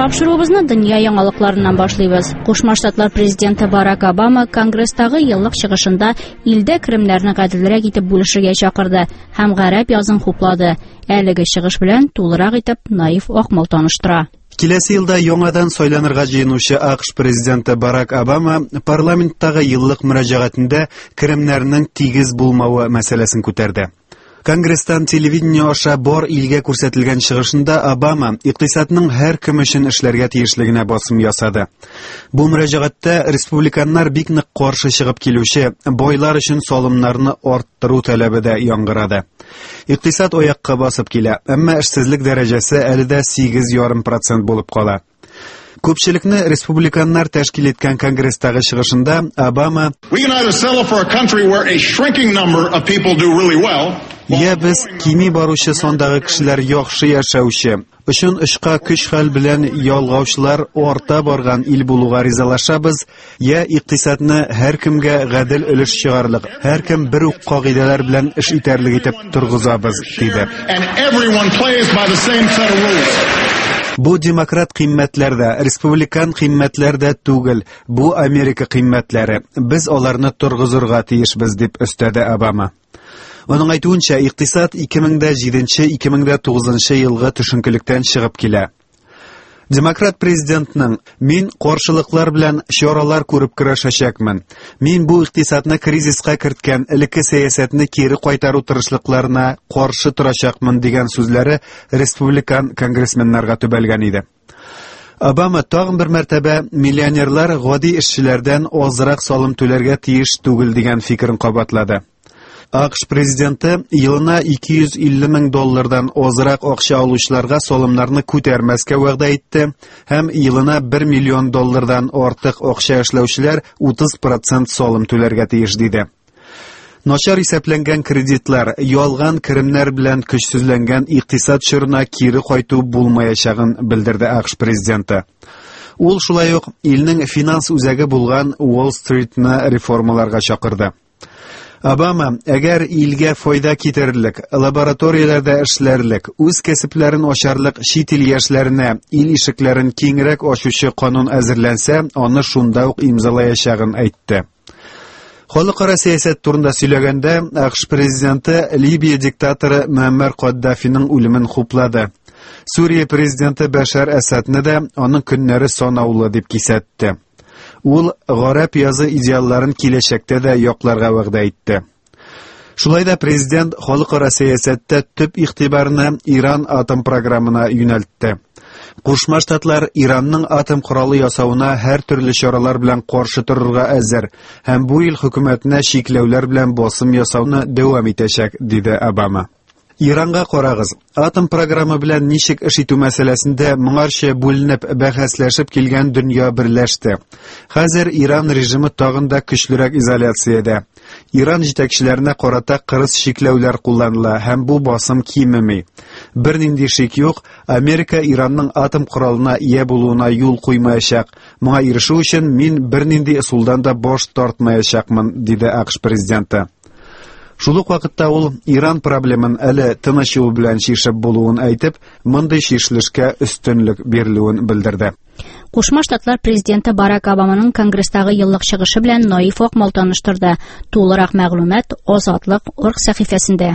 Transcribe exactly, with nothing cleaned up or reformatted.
Тапшыруыбызны дөнья яңалыкларыннан башлыйбыз. Кушма Штатлар президенты Барак Обама Конгресстагы еллык чыгышында илдә керемнәрне гаделрәк итеп бүлешергә чакырды һәм гарәп язын хуплады. Әлеге чыгыш белән тулырак итеп Наиф Акмал таныштыра. Киләсе елда яңадан сайланырга җыенучы А К Ш президенты Барак Обама парламенттагы еллык мөрәҗәгатендә керемнәрнең тигез булмавы мәсьәләсен күтәрде. Конгресстан телевидение аша бар илгә күрсәтелгән чыгышында Обама икътисадның һәр кем өчен эшләргә тиешлегенә басым ясады. Бу мөрәҗәгатьтә республиканнар бик нык каршы чыгып килүче байлар өчен салымнарны арттыру таләбе дә яңгырады. Икътисад аякка басып килә, әмма эшсезлек дәрәҗәсе әле дә сигез ярым процент булып кала. Күпчелекне республиканнар тәшкил иткән Конгресстагы чыгышында Обама We can either settle for a country where a shrinking number of people do really well, Я без кими баручы сандагы кешеләр яхшы яшәүче, очын очка көч-хәл белән ялгаучылар арта барган ил булуга ризалашабыз, я икътисадны һәркемгә гадел өлеш чыгарлык, һәркем бер үк кагыйдәләр белән эш итәрлек итеп торгызабыз, диде. and everyone plays by the same set of rules. Бу демократ кыйммәтләр дә, республикан кыйммәтләр дә түгел, бу Америка кыйммәтләре. Без аларны торгызырга тиешбез, дип өстәде Обама. Аның әйтүенчә, икътисад ике мең дә җиденче-ике мең дә тугызынчы елгы төшенкелектән чыгып килә. Демократ президентның «Мин каршылыклар белән чаралар күреп көрәшәчәкмен. Мин бу икътисадны кризиска керткән элекке сәясәтне кире кайтару тырышлыкларына каршы торачакмын» дигән сүзләре республикан конгрессменнарга төбәлгән иде. Обама тагын бер мәртәбә миллионерлар гади эшчеләрдән азрак салым түләргә тиеш түгел дигән фикерен кабатлады. А К Ш президенты елына ике йөз илле мең доллардан азрак акча алучыларга салымнарны күтәрмәскә вәгъдә итте һәм елына бер миллион доллардан артык акча эшләүчеләр утыз процент салым түләргә тиеш диде. Начар исәпләнгән кредитлар, ялган керемнәр белән көчсезләнгән икътисад чорына кире кайту булмаячагын белдерде А К Ш президенты. Ул шулай ук илнең финанс үзәге булган Уолл-стритны реформаларга чакырды. Обама, әгәр илгә файда китерерлек, лабораторияләрдә эшләрлек, үз кәсепләрен ачарлык чит ил яшьләренә ил ишекләрен киңрәк ачучы канун әзерләнсә, аны шунда ук имзалаячагын әйтте. Халыкара сәясәт турында сөйләгәндә, А К Ш президенты Либия диктаторы Муаммар Каддафиның үлемен хуплады. Сүрия президенты Бәшәр Әсадны да аның көннәре санаулы дип кисәтте. Ул гарәп язы идеалларын киләчәктә дә якларга вәгъдә итте. Шулай да президент халыкара сәясәттә төп игътибарны Иран атом программына юнәлтте. Кушма Штатлар Иранның атом коралы ясавына һәр төрле чаралар белән каршы торырга әзер һәм бу ил хөкүмәтенә чикләүләр белән басым ясауны дәвам итәчәк, диде Обама. Иранга карагыз. Атом программы белән ничек эш итү мәсьәләсендә моңарчы бүленеп бәхәсләшеп килгән дөнья берләште. Хәзер Иран режимы тагын да көчлерәк изоляциядә. Иран җитәкчеләренә карата кырыс чикләүләр кулланыла һәм бу басым кимеми. Бернинди шик юк, Америка Иранның атом коралына ия булуына юл куймаячак. Моңа ирешү өчен мин бернинди ысулдан да баш тартмаячакмын, диде А К Ш президенты. Шул ук вакытта ул Иран проблемын әле тыныч юл белән чишеп булуын әйтеп, мондый чишелешкә өстенлек бирелүен белдерде. Кушма Штатлар президенты Барак Обаманың Конгресстагы еллык чыгышы белән Наиф Акмал таныштырды. Тулырак мәгълүмат Азатлык орг сәхифәсендә.